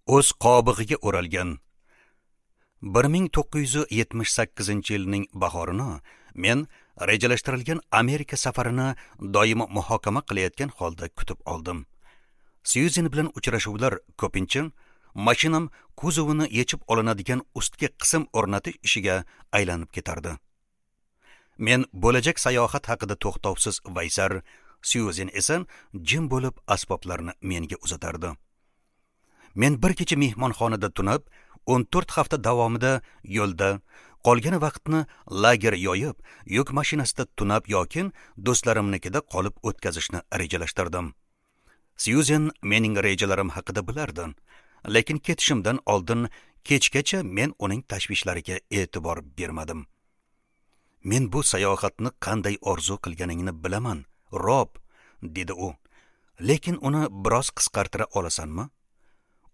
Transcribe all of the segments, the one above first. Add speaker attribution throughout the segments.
Speaker 1: O'z qobig'iga o'ralgan. 1978-yilning bahorini men rejalashtirilgan Amerika safarini doimo muhokama qilayotgan holda kutib oldim. Syuzen bilan uchrashuvlar ko'pincha mashinam kuzovini yechib olinadigan ustki qism o'rnatish ishiga aylanib ketardi. Men bo'lajak sayohat haqida to'xtovsiz vaysar, Syuzen esa jim bo'lib asboblarni menga uzatardi. Men bir kecha mehmonxonada tunab, 14 hafta davomida yo'lda, qolgan vaqtni lager yoyib, yuk mashinasida tunab yoki do'stlarimnikida qolib o'tkazishni rejalashtirdim. Syuzen mening rejalarim haqida bilardi, lekin ketishimdan oldin kechgacha men uning tashvishlariga e'tibor bermadim. Men bu sayohatni qanday orzu qilganingni bilaman, Rob, dedi u. Lekin uni biroz qisqartira olasanmi?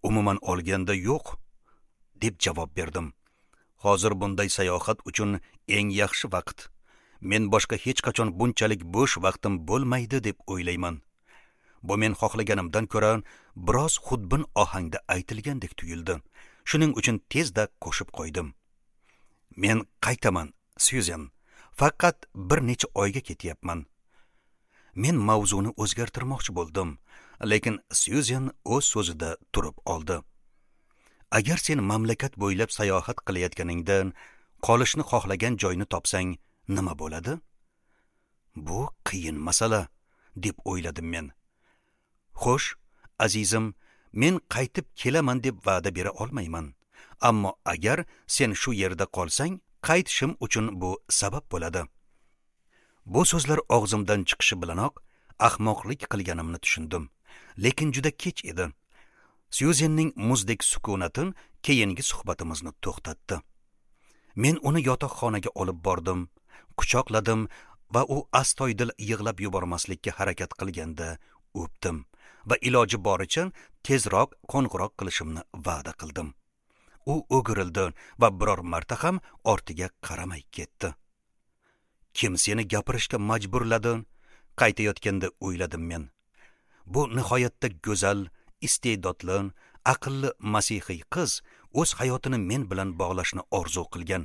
Speaker 1: Umuman olganda yo'q, deb javob berdim. Hozir bunday sayohat uchun eng yaxshi vaqt. Men boshqa hech qachon bunchalik bo'sh vaqtim bo'lmaydi deb o'ylayman. Bu men xohlaganimdan ko'ra biroz xudbin ohangda aytilgandek tuyuldi. Shuning uchun tezda qo'shib qo'ydim. Men qaytaman, Syuzen. Faqat bir necha oyga ketyapman. Men mavzuni o'zgartirmoqchi bo'ldim, lekin Syuzen o'z so'zida turib oldi. Agar sen mamlakat bo'ylab sayohat qilayotganingda qolishni xohlagan joyni topsang, nima bo'ladi? Bu qiyin masala, deb o'yladim men. Xo'sh, azizim, men qaytib kelaman deb va'da bera olmayman. Ammo agar sen shu yerda qolsang, qaytishim uchun bu sabab bo'ladi. Bu so'zlar og'zimdan chiqishi bilanoq ahmoqlik qilganimni tushundim. Lekin juda kech edi. Syuzenning muzdek sukunati keyingi suhbatimizni to'xtatdi. Men uni yotoqxonaga olib bordim, quchoqladim va u astoydil yig'lab yubormaslikka harakat qilganda o'pdim va iloji boricha tezroq qo'ng'iroq qilishimni va'da qildim. U o'girildi va biror marta ham ortiga qaramay ketdi. Kim seni gapirishga majburladi? Qaytayotganda o'yladim men. Bu nihoyatda go'zal, iste'dodli, aqlli masihiy qiz o'z hayotini men bilan bog'lashni orzu qilgan.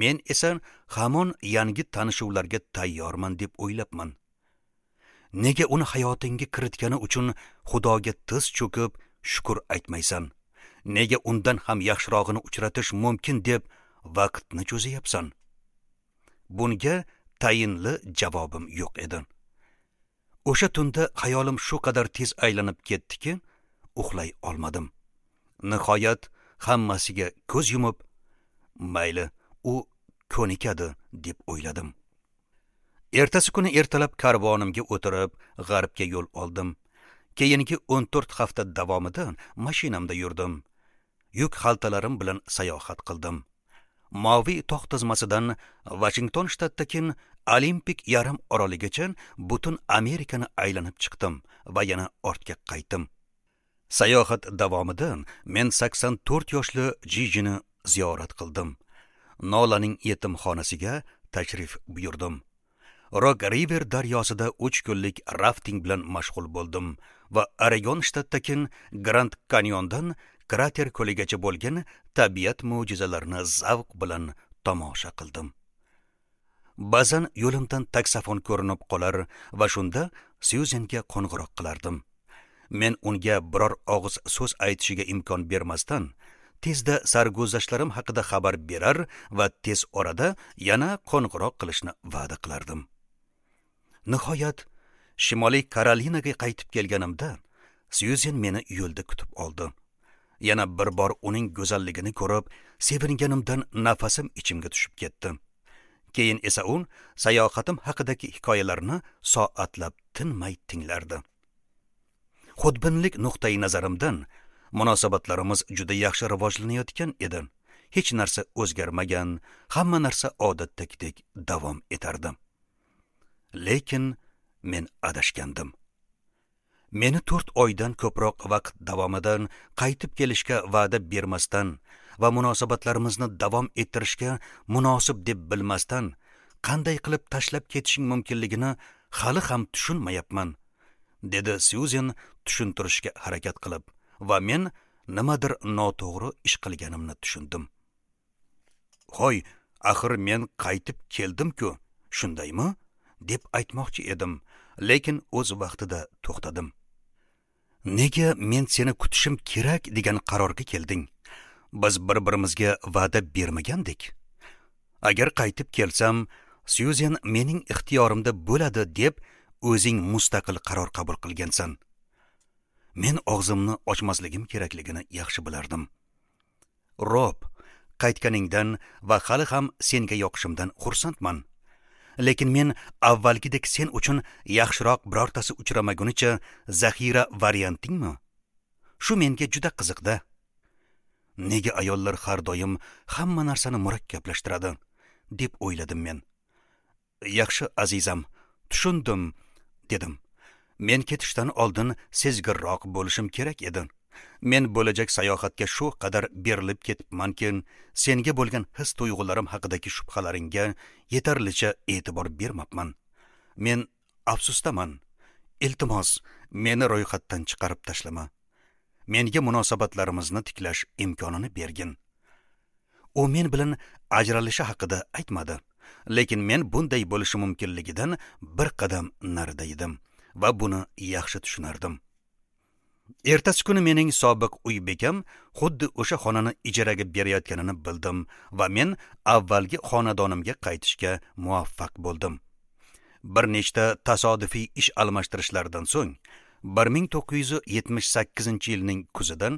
Speaker 1: Men esa hamon yangi tanishuvlarga tayyorman deb o'ylabman. Nega uni hayotingga kiritgani uchun Xudoga tiz cho'kib shukr aytmaysan? Nega undan ham yaxshirog'ini uchratish mumkin deb vaqtni cho'zayapsan? Bunga tayinli javobim yo'q edi. O'sha tunda xayolim shu qadar tez aylanib ketdiki, uxlay olmadim. Nihoyat hammasiga ko'z yumib, mayli, u ko'nikadi deb o'yladim. Ertasi kuni ertalab karvonimga o'tirib, g'arbga yo'l oldim. Keyingi 14 hafta davomida mashinamda yurdim. Yuk xaltalarim bilan sayohat qildim. Moviy tog' tizmasidan Washington shtatidagi Olimpik yarim oroligacha butun Amerikani aylanib chiqdim va yana ortga qaytdim. Sayohat davomida men 84 yoshli Jijini ziyorat qildim. Nolaning yetimxonasiga tashrif buyurdim. Rock River daryosida 3 kunlik rafting bilan mashg'ul bo'ldim va Oregon shtatidagi Grand Canyondan krater ko'ligacha bo'lgan tabiat mo'jizalarini zavq bilan tomosha qildim. Ba'zan yo'limdan taksafon ko'rinib qolar va shunda Syuzenga qo'ng'iroq qilardim. Men unga biror og'iz so'z aytishiga imkon bermasdan, tezda sarguzashtlarim haqida xabar berar va tez orada yana qo'ng'iroq qilishni va'da qilardim. Nihoyat Shimoliy Karolinaga qaytib kelganimda Syuzen meni yo'lda kutib oldi. Yana bir bor uning go'zalligini ko'rib, sevinganimdan nafasim ichimga tushib ketdi. Keyin esa u sayohatim haqidagi hikoyalarni soatlab tinmay tinglardi. Xudbinlik nuqtai nazarimdan munosabatlarimiz juda yaxshi rivojlanayotgan edi. Hech narsa o'zgarmagan, hamma narsa odatdagidek davom etardi. Lekin men adashgandim. Meni 4 oydan ko'proq vaqt davomida qaytib kelishga va'da bermasdan va munosabatlarimizni davom ettirishga munosib deb bilmasdan qanday qilib tashlab ketishing mumkinligini hali ham tushunmayapman, dedi Syuzen tushuntirishga harakat qilib va men nimadir noto'g'ri ish qilganimni tushundim. Hoy, axir men qaytib keldim-ku, shundaymi? Deb aytmoqchi edim, lekin o'z vaqtida to'xtadim. Nega men seni kutishim kerak degan qarorga kelding? Biz bir-birimizga va'da bermagandik. Agar qaytib kelsam, Syuzen mening ixtiyorimda bo'ladi deb o'zing mustaqil qaror qabul qilgansan. Men og'zimni ochmasligim kerakligini yaxshi bilardim. Rob, qaytganingdan va hali ham senga yoqishimdan xursandman. Lekin men avvalgidek sen uchun yaxshiroq birortasi uchramagunicha zaxira variantingmi? Shu menga juda qiziqda. Nega ayollar har doim hamma narsani murakkablashtiradi, deb o'yladim men. Yaxshi azizam, tushundim, dedim. Men ketishdan oldin sezgirroq bo'lishim kerak edi. Men bo'lajak sayohatga shu qadar berilib ketibmanki, senga bo'lgan his tuyg'ularim haqidagi shubhalaringga yetarlicha e'tibor bermabman. Men afsusdaman. Iltimos, meni ro'yxatdan chiqarib tashlama. Menga munosabatlarimizni tiklash imkonini bergin. U men bilan ajralishi haqida aytmadi, lekin men bunday bo'lishi mumkinligidan bir qadam narida edim va buni yaxshi tushunardim. Ertasi kuni mening sobiq uy bekam xuddi o'sha xonani ijaraga berayotganini bildim va men avvalgi xonadonimga qaytishga muvaffaq bo'ldim. Bir nechta tasodifiy ish almashtirishlardan so'ng 1978-yilning kuzidan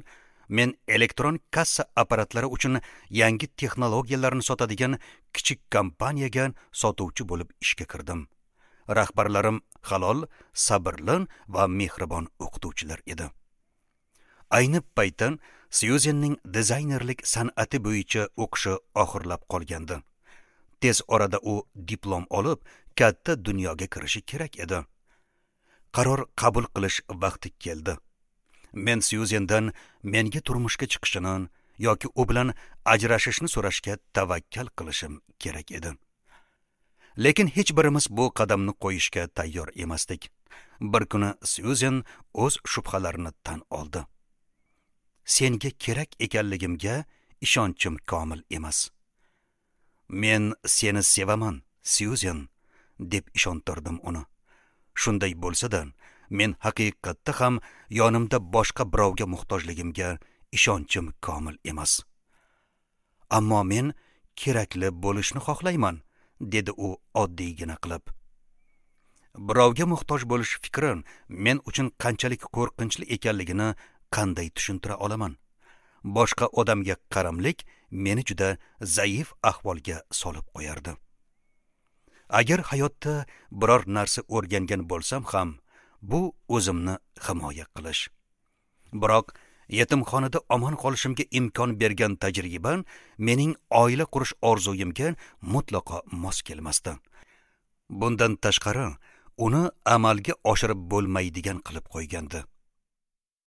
Speaker 1: men elektron kassa apparatlari uchun yangi texnologiyalarni sotadigan kichik kompaniyaga sotuvchi bo'lib ishga kirdim. Rahbarlarim halol, sabrli va mehribon o'qituvchilar edi. Ayni paytda Syuzenning dizaynerlik san'ati bo'yicha o'qishi oxirlab qolgandi. Tez orada u diplom olib, katta dunyoga kirishi kerak edi. Qaror qabul qilish vaqti keldi. Men Syuzendan menga turmushga chiqishini yoki u bilan ajrashishni so'rashga tavakkal qilishim kerak edi. Lekin hech birimiz bu qadamni qo'yishga tayyor emasdik. Bir kuni Syuzen o'z shubhalarini tan oldi. Senga kerak ekanligimga ishonchim komil emas. Men seni sevaman, Syuzen, deb ishontirdim uni. Shunday bo'lsa-da, men haqiqatda ham yonimda boshqa birovga muhtojligimga ishonchim komil emas. Ammo men kerakli bo'lishni xohlayman, dedi u oddiygina qilib. Birovga muhtoj bo'lish fikri men uchun qanchalik qo'rqinchli ekanligini qanday tushuntira olaman? Boshqa odamga qaramlik meni juda zaif ahvolga solib qo'yardi. Agar hayotda biror narsa o'rgangan bo'lsam ham, bu o'zimni himoya qilish. Biroq yetimxonada omon qolishimga imkon bergan tajriba mening oila qurish orzuyimga mutlaqo mos kelmasdi. Bundan tashqari, uni amalga oshirib bo'lmaydigan qilib qo'ygandi.